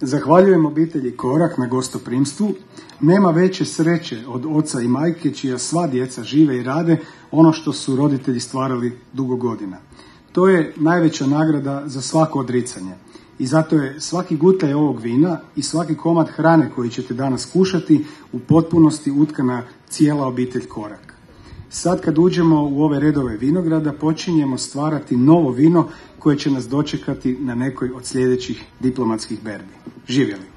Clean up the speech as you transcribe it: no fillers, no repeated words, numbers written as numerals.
Zahvaljujem obitelji Korak na gostoprimstvu. Nema veće sreće od oca i majke čija sva djeca žive i rade ono što su roditelji stvarali dugo godina. To je najveća nagrada za svako odricanje. I zato je svaki gutlaj ovog vina i svaki komad hrane koji ćete danas kušati u potpunosti utkana cijela obitelj Korak. Sad kad uđemo u ove redove vinograda počinjemo stvarati novo vino koje će nas dočekati na nekoj od sljedećih diplomatskih berbi. Živjeli!